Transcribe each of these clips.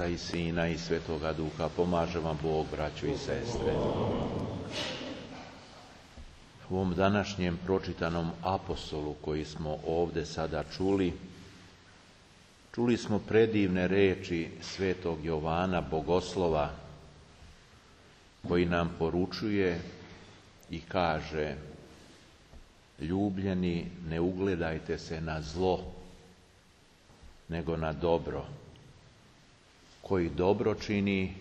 Oca i Sina i Svetoga Duha. Pomaže vam Bog, braćo i sestre. U ovom današnjem pročitanom apostolu koji smo ovdje sada čuli smo predivne reči Svetog Jovana Bogoslova, koji nam poručuje i kaže: ljubljeni, ne ugledajte se na zlo, nego na dobro. Koji dobro čini,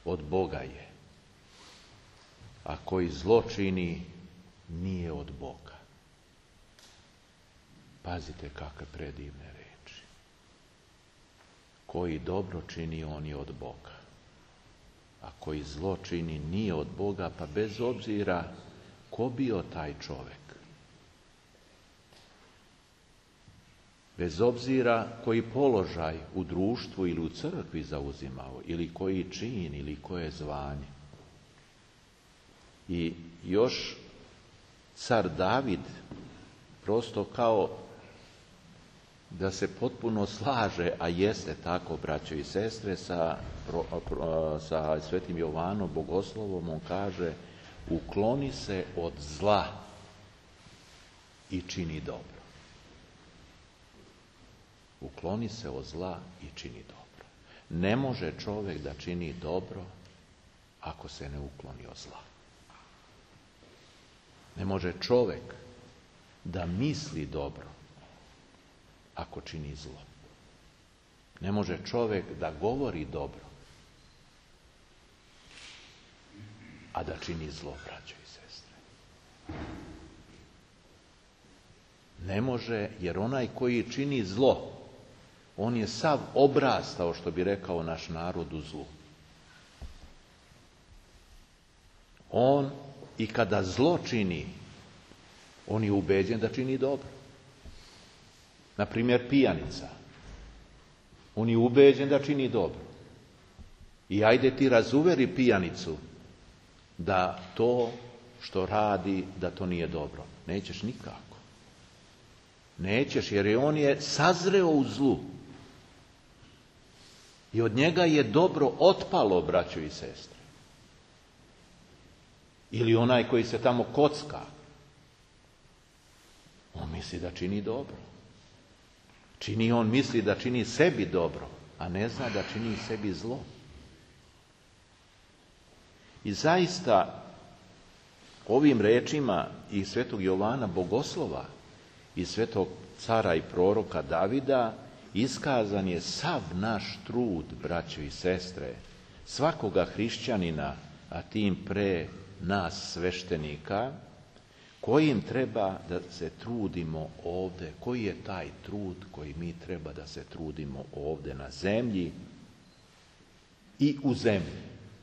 od Boga je, a koji zlo čini, nije od Boga. Pazite kakve predivne reči. Koji dobro čini, on je od Boga, a koji zlo čini, nije od Boga, pa bez obzira ko bio taj čovjek, bez obzira koji položaj u društvu ili u crkvi zauzimao, ili koji čin, ili koje zvanje. I još car David prosto kao da se potpuno slaže, a jeste tako, braćo i sestre, sa Svetim Jovanom Bogoslovom. On kaže: ukloni se od zla i čini dobro. Ukloni se od zla i čini dobro. Ne može čovjek da čini dobro ako se ne ukloni od zla. Ne može čovjek da misli dobro ako čini zlo. Ne može čovjek da govori dobro, a da čini zlo, braćo i sestre. Ne može, jer onaj koji čini zlo, on je sav obrastao, što bi rekao naš narod, u zlu. On i kada zlo čini, on je ubeđen da čini dobro. Na primjer, pijanica. On je ubeđen da čini dobro. I ajde ti razuveri pijanicu da to što radi, da to nije dobro. Nećeš nikako. Nećeš, jer on je sazreo u zlu. I od njega je dobro otpalo, braćo i sestre. Ili onaj koji se tamo kocka, on misli da čini dobro. On misli da čini sebi dobro, a ne zna da čini sebi zlo. I zaista ovim rečima i Svetog Jovana Bogoslova i Svetog cara i proroka Davida iskazan je sav naš trud, braćo i sestre, svakoga hrišćanina, a tim pre nas sveštenika, kojim treba da se trudimo ovdje. Koji je taj trud koji mi treba da se trudimo ovdje na zemlji i u zemlji,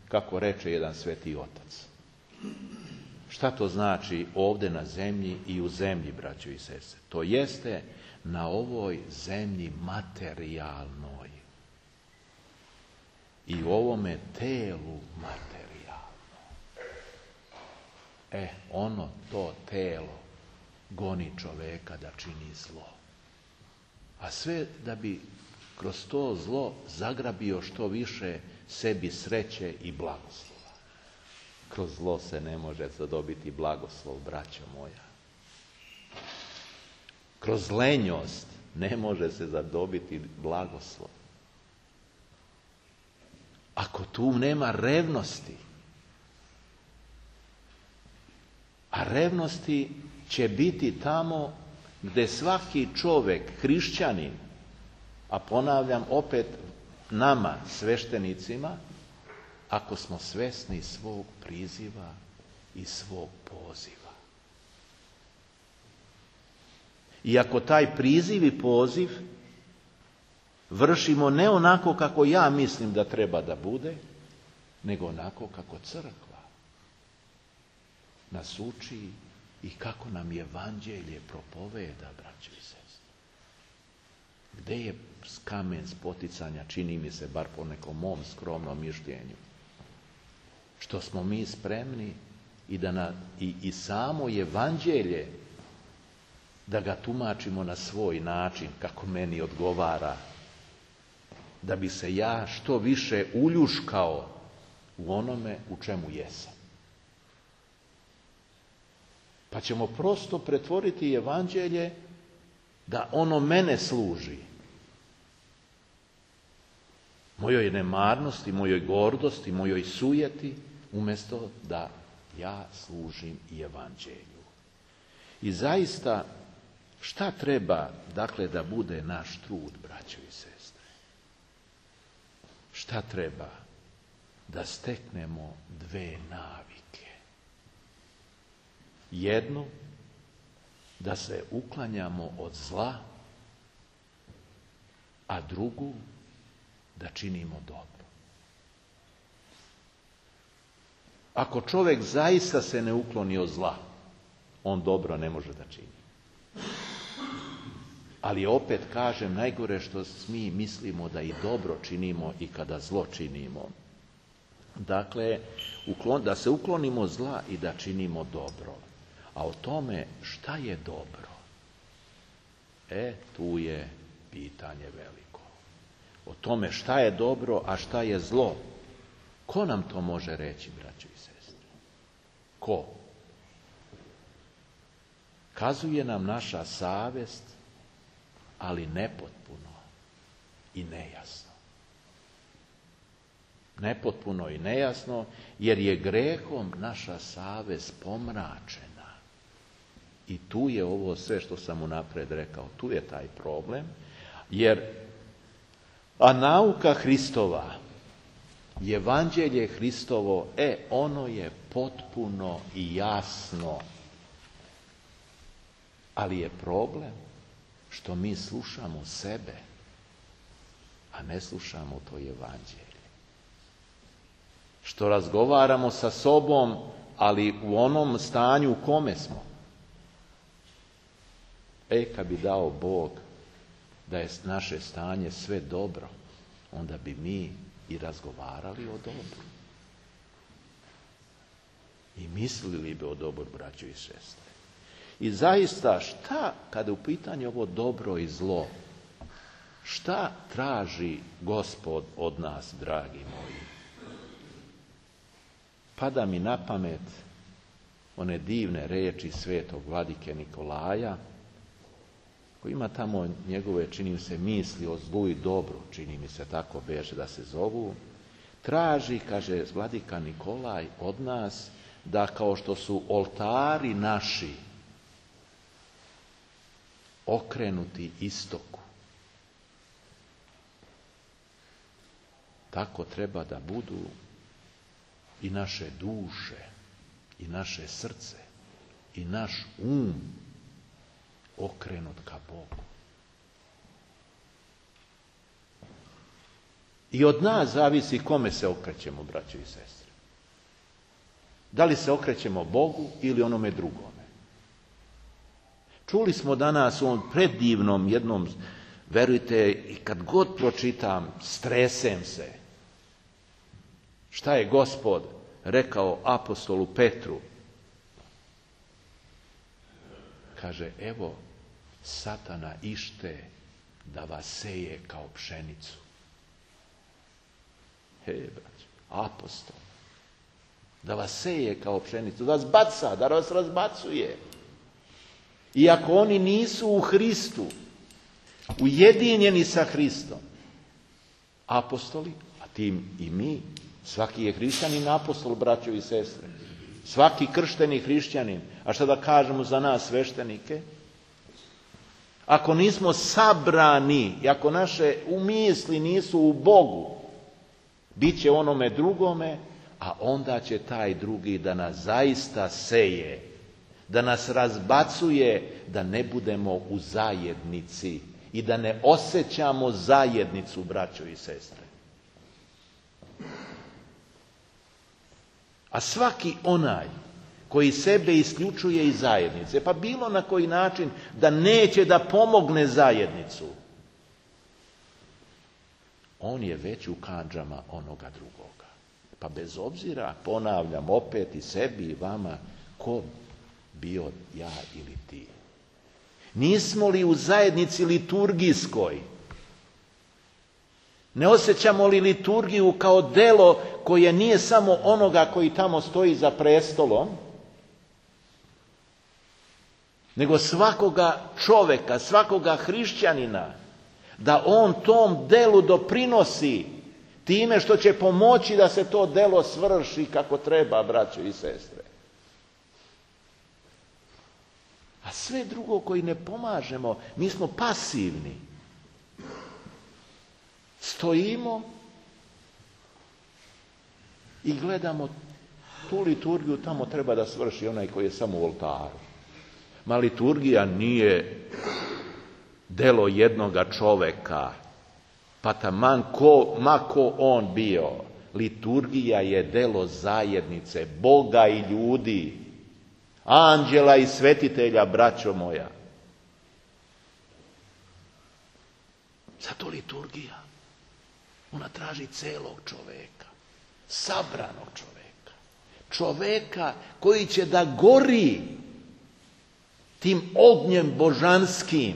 kako reče jedan sveti otac. Šta to znači ovdje na zemlji i u zemlji, braćo i sestre? To jeste na ovoj zemlji materijalnoj i u ovome telu materijalno. To telo goni čoveka da čini zlo. A sve da bi kroz to zlo zagrabio što više sebi sreće i blagoslova. Kroz zlo se ne može zadobiti blagoslov, braćo moja. Kroz lenjost ne može se zadobiti blagoslov. Ako tu nema revnosti, a revnosti će biti tamo gdje svaki čovjek, hrišćanin, a ponavljam opet nama, sveštenicima, ako smo svesni svog priziva i svog poziva. I ako taj priziv i poziv vršimo ne onako kako ja mislim da treba da bude, nego onako kako crkva nas uči i kako nam evanđelje propoveda, braćo i sestre. Gde je kamen spoticanja, čini mi se, bar po nekom mom skromnom mišljenju, što smo mi spremni i samo evanđelje da ga tumačimo na svoj način, kako meni odgovara, da bi se ja što više uljuškao u onome u čemu jesam. Pa ćemo prosto pretvoriti evanđelje da ono mene služi. Mojoj nemarnosti, mojoj gordosti, mojoj sujeti, umjesto da ja služim i evanđelju. I zaista, šta treba, dakle, da bude naš trud, braćo i sestre? Šta treba? Da steknemo dve navike. Jednu, da se uklanjamo od zla, a drugu, da činimo dobro. Ako čovjek zaista se ne ukloni od zla, on dobro ne može da čini. Ali opet kažem, najgore što mi mislimo da i dobro činimo i kada zlo činimo. Dakle, da se uklonimo zla i da činimo dobro. A o tome šta je dobro? Tu je pitanje veliko. O tome šta je dobro, a šta je zlo. Ko nam to može reći, braćo i sestre? Ko? Kazuje nam naša savjest, ali nepotpuno i nejasno. Nepotpuno i nejasno, jer je grehom naša savjest pomračena. I tu je ovo sve što sam unaprijed rekao, tu je taj problem, a nauka Hristova, evanđelje Hristovo, ono je potpuno i jasno. Ali je problem što mi slušamo sebe, a ne slušamo to evanđelje. Što razgovaramo sa sobom, ali u onom stanju u kome smo. Kad bi dao Bog da je naše stanje sve dobro, onda bi mi i razgovarali o dobru. I mislili bi o dobru, braćo i sestre. I zaista, šta, kada je u pitanju ovo dobro i zlo, šta traži Gospod od nas, dragi moji? Pada mi na pamet one divne riječi svetog vladike Nikolaja, koji ima tamo njegove, čini mi se, misli o zlu i dobru, čini mi se tako beže da se zovu. Traži, kaže vladika Nikolaj, od nas da kao što su oltari naši okrenuti istoku, tako treba da budu i naše duše, i naše srce, i naš okrenut ka Bogu. I od nas zavisi kome se okrećemo, braćo i sestre. Da li se okrećemo Bogu ili onome drugome? Čuli smo danas u ovom predivnom jednom, verujte, i kad god pročitam, stresem se. Šta je Gospod rekao apostolu Petru? Kaže, evo, Satana ište da vas seje kao pšenicu. Braćo, apostol. Da vas seje kao pšenicu, da vas baca, da vas razbacuje. I ako oni nisu u Hristu, ujedinjeni sa Hristom, apostoli, a tim i mi, svaki je hrišćanin apostol, braćo i sestre. Svaki kršteni hrišćanin, a šta da kažemo za nas sveštenike? Ako nismo sabrani, i ako naše umisli nisu u Bogu, bit će onome drugome, a onda će taj drugi da nas zaista seje, da nas razbacuje, da ne budemo u zajednici i da ne osjećamo zajednicu, braćo i sestre. A svaki onaj koji sebe isključuje iz zajednice, pa bilo na koji način da neće da pomogne zajednicu, on je već u kandžama onoga drugoga. Pa bez obzira, ponavljam opet i sebi i vama, ko bio ja ili ti. Nismo li u zajednici liturgijskoj? Ne osjećamo li liturgiju kao delo koje nije samo onoga koji tamo stoji za prestolom, nego svakoga čoveka, svakoga hrišćanina, da on tom delu doprinosi time što će pomoći da se to delo svrši kako treba, braćo i sestre. A sve drugo koji ne pomažemo, mi smo pasivni. Stojimo i gledamo tu liturgiju, tamo treba da svrši onaj koji je samo u oltaru. Ma liturgija nije delo jednoga čoveka, pa taman ma ko on bio. Liturgija je delo zajednice, Boga i ljudi, anđela i svetitelja, braćo moja. Zato liturgija, ona traži celog čoveka, sabranog čoveka, čoveka koji će da gori tim ognjem božanskim.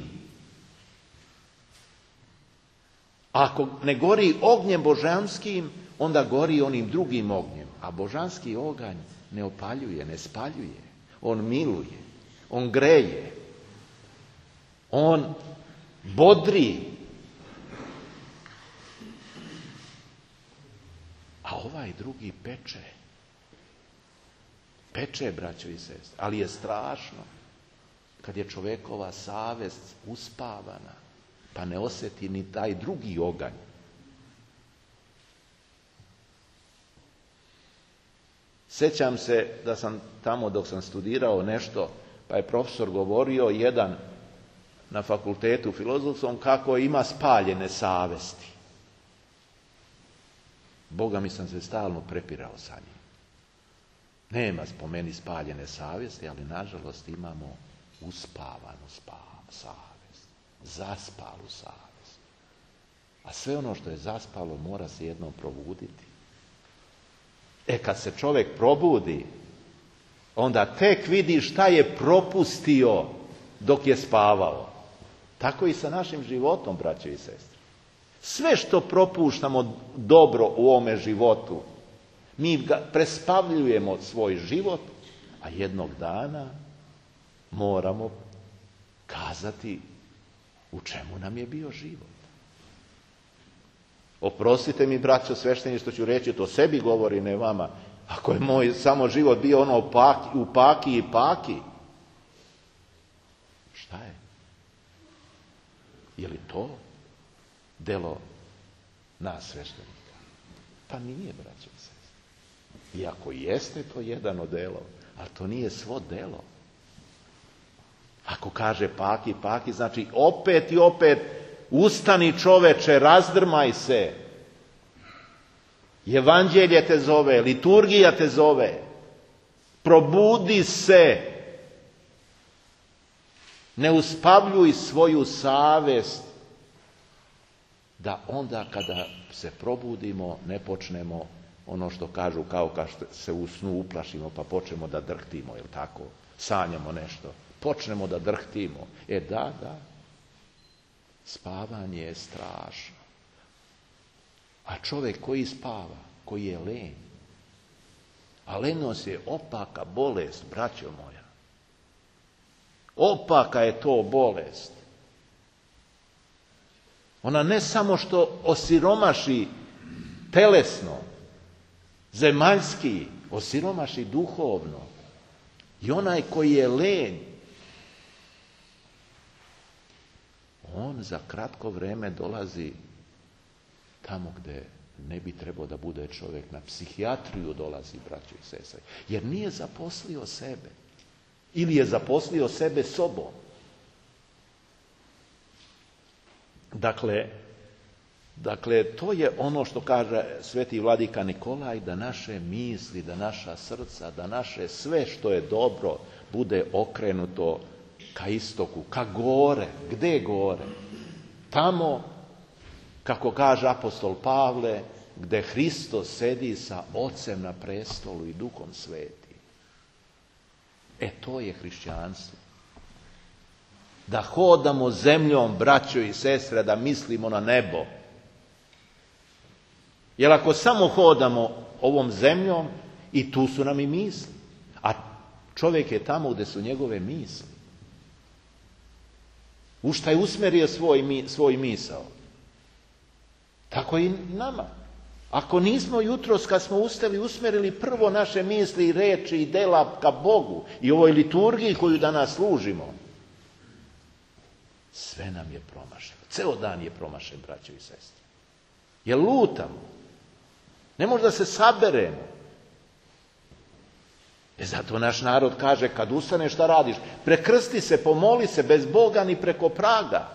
Ako ne gori ognjem božanskim, onda gori onim drugim ognjem. A božanski oganj ne opaljuje, ne spaljuje. On miluje, on greje, on bodri. A ovaj drugi peče. Peče, braćo i sestre. Ali je strašno kad je čovekova savest uspavana, pa ne osjeti ni taj drugi oganj. Sjećam se da sam tamo dok sam studirao nešto, pa je profesor govorio jedan na fakultetu filozofskom kako ima spaljene savesti. Boga mi sam se stalno prepirao sa njim. Nema po meni spaljene savjesti, ali nažalost imamo uspavanu savjest, zaspalu savjest. A sve ono što je zaspalo mora se jednom probuditi. Kad se čovjek probudi, onda tek vidi šta je propustio dok je spavao. Tako i sa našim životom, braćo i sestre. Sve što propuštamo dobro u ovome životu, mi ga prespavljujemo svoj život, a jednog dana moramo kazati u čemu nam je bio život. Oprostite mi, braćo svešteni, što ću reći, to sebi govori, ne vama. Ako je moj samo život bio ono u paki i paki, šta je? Je li to delo nas sveštenika? Pa nije, braćo i sestre. Iako jeste to jedan od delova, ali to nije svo delo. Ako kaže paki, paki, znači opet i opet ustani čoveče, razdrmaj se. Evanđelje te zove, liturgija te zove. Probudi se. Ne uspavljuj svoju savest da onda kada se probudimo ne počnemo ono što kažu kao kad se u snu uplašimo pa počnemo da drhtimo, jel tako? Sanjamo nešto. Počnemo da drhtimo. Da. Spavanje je strašno. A čovjek koji spava, koji je lenj, a lenjost je opaka bolest, braćo moja. Opaka je to bolest. Ona ne samo što osiromaši telesno, zemaljski, osiromaši duhovno. I onaj koji je lenj, on za kratko vrijeme dolazi tamo gdje ne bi trebao da bude čovjek, na psihijatriju dolazi, braćo i sestre, jer nije zaposlio sebe. Ili je zaposlio sebe sobom. Dakle, to je ono što kaže sveti vladika Nikolaj, da naše misli, da naša srca, da naše sve što je dobro bude okrenuto ka istoku, ka gore. Gde gore? Tamo, kako kaže apostol Pavle, gde Hristos sedi sa Ocem na prestolu i Duhom Svetim. To je hrišćanstvo. Da hodamo zemljom, braćo i sestre, da mislimo na nebo. Jer ako samo hodamo ovom zemljom, i tu su nam i misli. A čovjek je tamo gdje su njegove misli. U šta je usmjerio svoj misao. Tako i nama. Ako nismo jutros kad smo ustali usmjerili prvo naše misli i reči i dela ka Bogu i ovoj liturgiji koju danas služimo, sve nam je promašeno. Ceo dan je promašen, braćo i sestre. Jer lutamo. Ne može da se saberemo. Zato naš narod kaže, kad ustaneš šta radiš? Prekrsti se, pomoli se, bez Boga ni preko praga.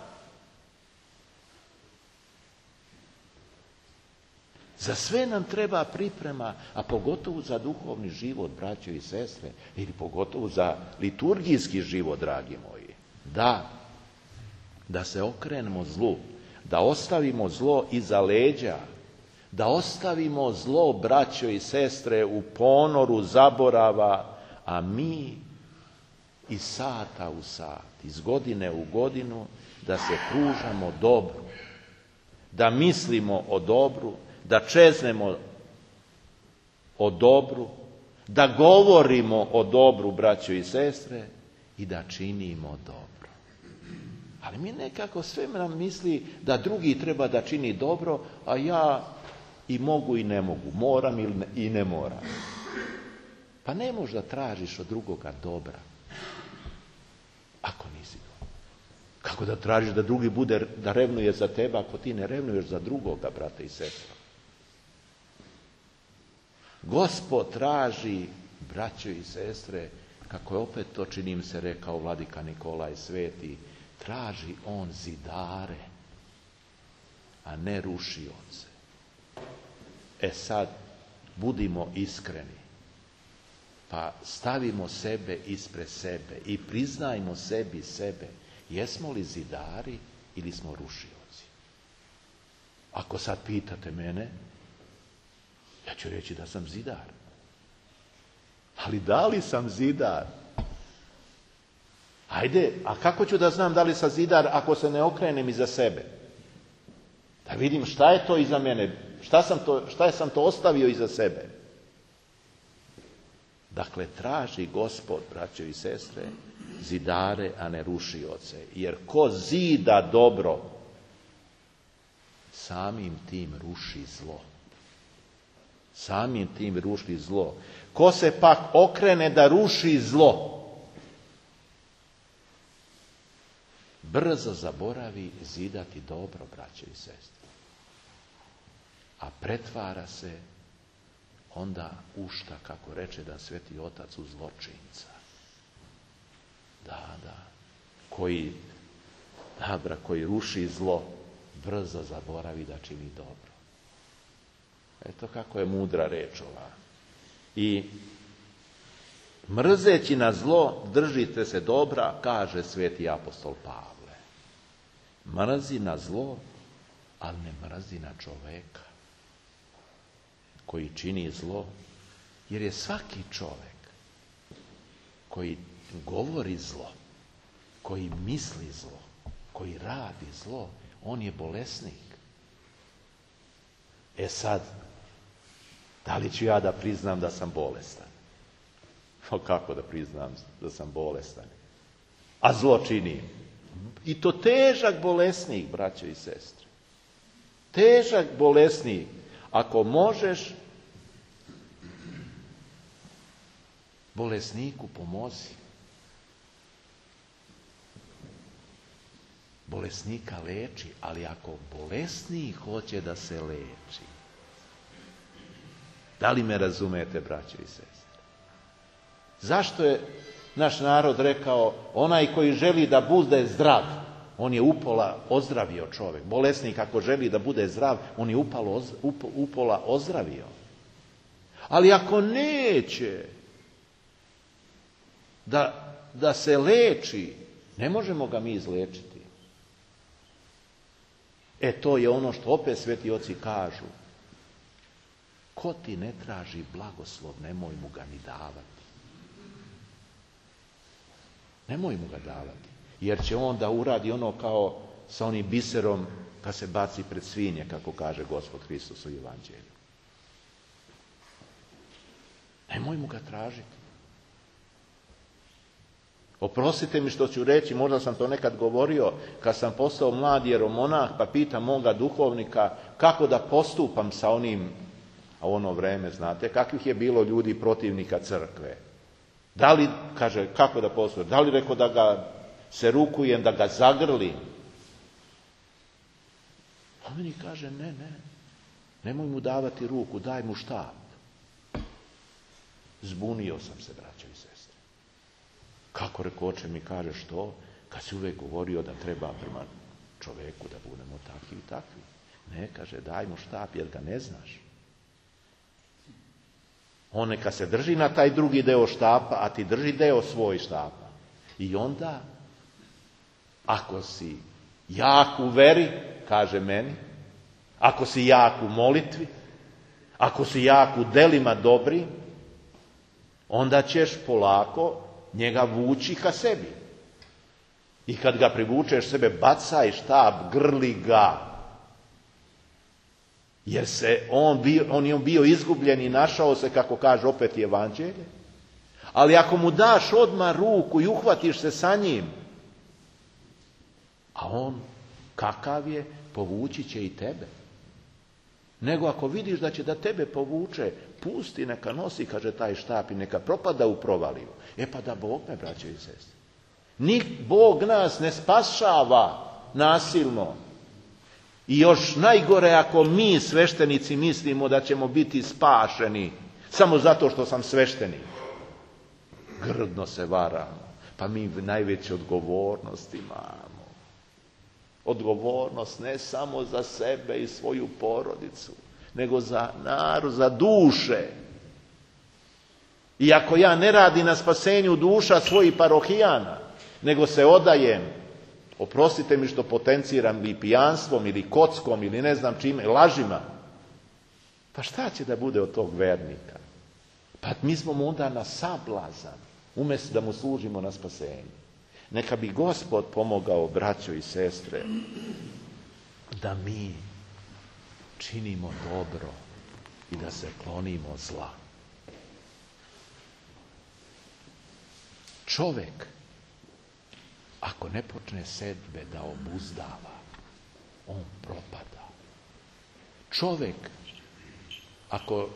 Za sve nam treba priprema, a pogotovo za duhovni život, braćo i sestre, ili pogotovo za liturgijski život, dragi moji. Da se okrenemo zlu, da ostavimo zlo iza leđa, da ostavimo zlo, braćo i sestre, u ponoru zaborava, a mi iz sata u sat, iz godine u godinu, da se pružamo dobru, da mislimo o dobru, da čeznemo o dobru, da govorimo o dobru, braćo i sestre, i da činimo dobro. Ali mi nekako sve nam misli da drugi treba da čini dobro, a ja i mogu i ne mogu, moram i ne moram. Pa ne možeš da tražiš od drugoga dobra, ako nisi dobro. Kako da tražiš da drugi bude, da revnuje za tebe, ako ti ne revnuješ za drugoga, brate i sestre? Gospod traži, braćo i sestre, kako je opet to, čini mi se, rekao vladika Nikolaj Sveti, traži on zidare, a ne rušioce. Sad, budimo iskreni, pa stavimo sebe ispred sebe i priznajmo sebi sebe. Jesmo li zidari ili smo rušioci? Ako sad pitate mene, ja ću reći da sam zidar. Ali da li sam zidar? Ajde, a kako ću da znam da li sam zidar ako se ne okrenem iza sebe? Da vidim šta je to iza mene, šta sam to ostavio iza sebe. Dakle, traži Gospod, braćo i sestre, zidare, a ne rušioce. Jer ko zida dobro, samim tim ruši zlo. Samim tim ruši zlo. Ko se pak okrene da ruši zlo, brzo zaboravi zidati dobro, braćo i sestre. A pretvara se onda ušta, kako reče da Sveti Otac, u zločinca. Koji ruši zlo, brzo zaboravi da čini dobro. Eto kako je mudra reč ova. I mrzeći na zlo, držite se dobra, kaže Sveti apostol Pavle. Mrzi na zlo, ali ne mrzi na čoveka koji čini zlo, jer je svaki čovek koji govori zlo, koji misli zlo, koji radi zlo, on je bolesnik. Sad, da li ću ja da priznam da sam bolestan? Kako da priznam da sam bolestan? A zlo činim. I to težak bolesnik, braćo i sestre. Težak bolesnik. Ako možeš, bolesniku pomozi. Bolesnika leči, ali ako bolesnik hoće da se leči, da li me razumete, braćo i sestre? Zašto je naš narod rekao, onaj koji želi da bude zdrav, on je upola ozdravio čovjek. Bolesnik ako želi da bude zdrav, on je upola ozdravio. Ali ako neće da se leči, ne možemo ga mi izlečiti. To je ono što opet sveti oci kažu. Ko ti ne traži blagoslov, nemoj mu ga ni davati. Nemoj mu ga davati. Jer će on da uradi ono kao sa onim biserom kad se baci pred svinje, kako kaže Gospod Hristos u Evanđelju. Nemojmo ga tražiti. Oprostite mi što ću reći, možda sam to nekad govorio, kad sam postao mlad jeromonah, pa pitam moga duhovnika kako da postupam sa onim, a u ono vreme, znate, kakvih je bilo ljudi protivnika crkve. Da li, kaže, kako da postupam? Da li rekao da ga se rukujem, da ga zagrlim? A meni kaže, ne, nemoj mu davati ruku, daj mu štap. Zbunio sam se, braćo i sestre. Kako rekoče mi kaže što? Kad si uvijek govorio da treba prema čoveku da budemo takvi i takvi. Ne, kaže, daj mu štap jer ga ne znaš. On neka se drži na taj drugi deo štapa, a ti drži deo svoj štapa. I onda, ako si jak u veri, kaže meni, ako si jak u molitvi, ako si jak u delima dobri, onda ćeš polako njega vući ka sebi. I kad ga privučeš sebe, bacaj štap, grli ga. Jer on je bio izgubljen i našao se, kako kaže opet Evanđelje. Ali ako mu daš odmah ruku i uhvatiš se sa njim, a on kakav je, povući će i tebe. Nego ako vidiš da će da tebe povuče, pusti, neka nosi, kaže, taj štap i neka propada u provaliju. Pa da Bog me, braćo i sestre. Bog nas ne spašava nasilno. I još najgore ako mi, sveštenici, mislimo da ćemo biti spašeni samo zato što sam sveštenik. Grdno se varamo. Pa mi najveću odgovornost imamo. Odgovornost ne samo za sebe i svoju porodicu, nego za narod, za duše. I ako ja ne radim na spasenju duša svojih parohijana, nego se odajem, oprostite mi što potenciram ili pijanstvom, ili kockom, ili ne znam čime, lažima, pa šta će da bude od tog vernika? Pa mi smo mu onda na sablazan, umjesto da mu služimo na spasenju. Neka bi Gospod pomogao, braćo i sestre, da mi činimo dobro i da se klonimo zla. Čovjek, ako ne počne sebe da obuzdava, on propada. Čovjek, ako,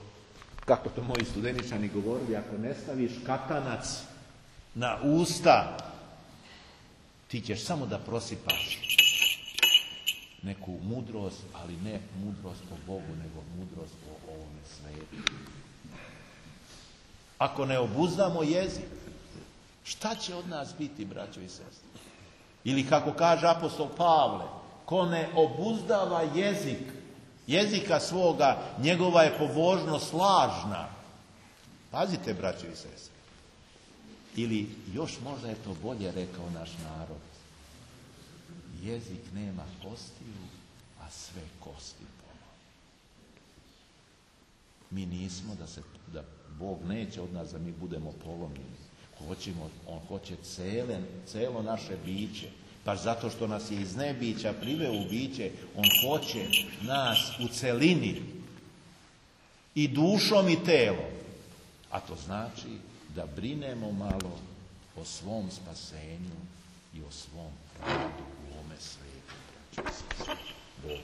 kako to moji studeničani govorili, ako ne staviš katanac na usta, ti ćeš samo da prosipaš neku mudrost, ali ne mudrost po Bogu, nego mudrost po ovome svijetu. Ako ne obuzdamo jezik, šta će od nas biti, braćo i sestre? Ili kako kaže apostol Pavle, ko ne obuzdava jezika svoga, njegova je pobožnost lažna. Pazite, braćo i sestre. Ili još možda je to bolje rekao naš narod. Jezik nema kostiju, a sve kosti pomalo. Mi nismo da Bog neće od nas da mi budemo polomljeni. On hoće celo naše biće. Pa zato što nas je iz nebića priveo u biće, on hoće nas u celini. I dušom i telom. A to znači da brinemo malo o svom spasenju i o svom radu u ovome svijetu. Bog.